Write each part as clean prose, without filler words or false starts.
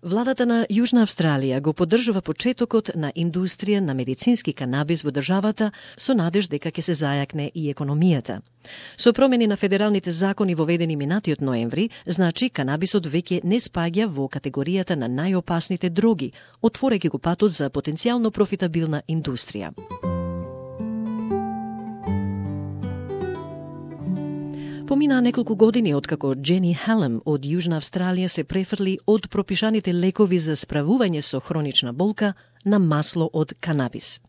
Владата на Јужна Австралија го поддржува почетокот на индустрија на медицински канабис во државата со надеж дека ќе се зајакне и економијата. Со промени на федералните закони воведени минатиот ноември, значи канабисот веќе не спаѓа во категоријата на најопасните дроги, отворејќи го патот за потенцијално профитабилна индустрија. Поминаа неколку години откако Джени Халем од Јужна Австралија се префрли од пропишаните лекови за справување со хронична болка на масло од канабис.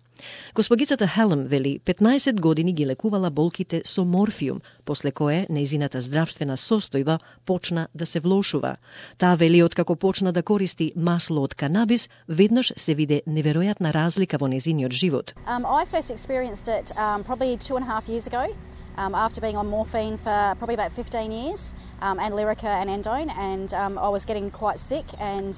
Госпогицата Халем вели 15 години ги лекувала болките со морфиум, после кое нејзината здравствена состојба почна да се влошува. Таа вели откако почна да користи масло од канабис, веднаш се виде неверојатна разлика во нејзиниот живот. I first experienced it probably 2.5 years ago. After being on morphine for probably about 15 years, and Lyrica and Endone, and I was getting quite sick and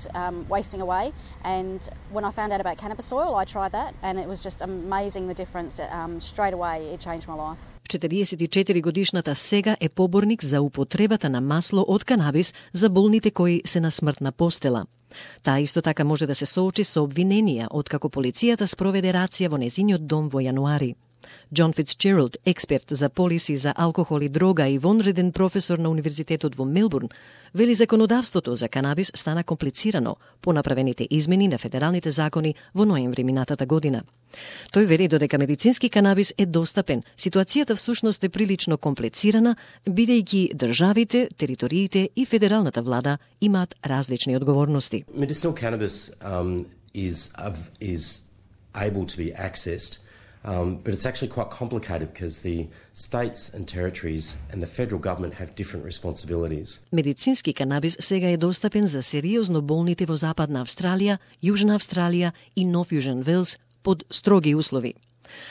wasting away. And when I found out about cannabis oil, I tried that, and it was just amazing the difference. Straight away, it changed my life. 44-годишната сега е поборник за употребата на масло од канабис за болните кои се на смртна постела. Таа исто така може да се соочи со обвиненија откако полицијата спроведе рација во незиниот дом во јануари. Джон Фицджералд, експерт за полиси за алкохол и дрога и вонреден професор на Универзитетот во Мелбурн, вели законодавството за канабис стана комплицирано по направените измени на федералните закони во ноември минатата година. Тој вели додека медицински канабис е достапен, ситуацијата всушност е прилично комплицирана, бидејќи државите, териториите и федералната влада имаат различни одговорности. Medicinal cannabis is able to be accessed. But it's actually quite complicated because the states and territories and the federal government have different responsibilities. Медицински канабис сега е достапен за сериозно болните во Западна Австралија, Јужна Австралија и Нов Јужен Велс под строги услови.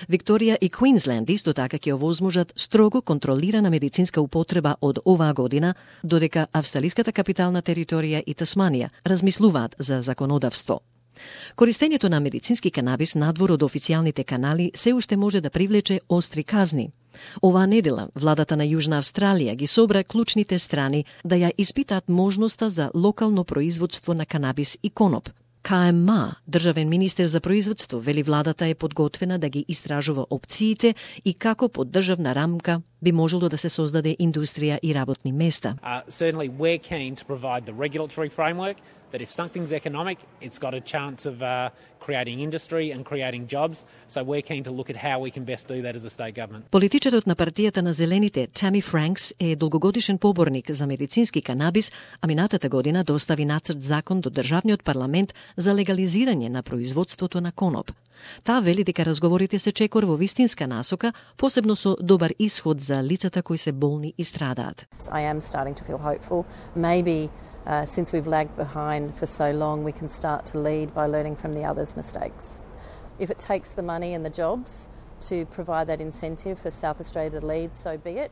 Викторија и Квинсленд исто така ќе овозможат строго контролирана медицинска употреба од оваа година, додека австралиската капитална територија и Тасманија размислуваат за законодавство. Користењето на медицински канабис надвор од официјалните канали се уште може да привлече остри казни. Оваа недела, владата на Јужна Австралија ги собра клучните страни да ја испитаат можноста за локално производство на канабис и коноп. КМА, државен министер за производство, вели владата е подготвена да ги истражува опциите и како под државна рамка би можело да се создаде индустрија и работни места. Certainly we're keen to provide the regulatory framework that if something's economic, it's got a chance of creating industry and creating jobs. So we're keen to look at how we can best do that as a state government. Политичарот на партијата на Зелените, Тами Франкс, е долгогодишен поборник за медицински канабис, а минатата година достави нацрт закон до државниот парламент за легализирање на производството на коноп. Таа вели дека разговорите се чекор во вистинска насока, посебно со добар исход за лицата кои се болни и страдаат. I am starting to feel hopeful. Maybe since we've lagged behind for so long, we can start to lead by learning from the others' mistakes. If it takes the money and the jobs to provide that incentive for South Australia to lead, so be it.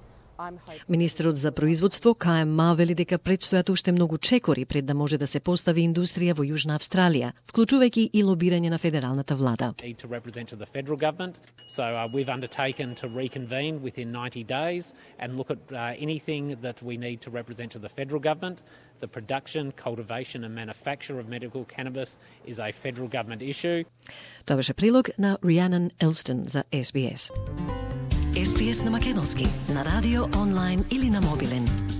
Министерот за производство КМА вели дека предстојат уште многу чекори пред да може да се постави индустрија во Јужна Австралија, вклучувајќи и лобирање на федералната влада. To represent to the federal government, so we've undertaken to reconvene within 90 days and look at anything that we need to represent to the federal government. The production, cultivation and manufacture of medical cannabis is a federal government issue. Тоа беше прилог на Rhiannon Elston за SBS. SBS на македонски, на радио, онлайн или на мобилен.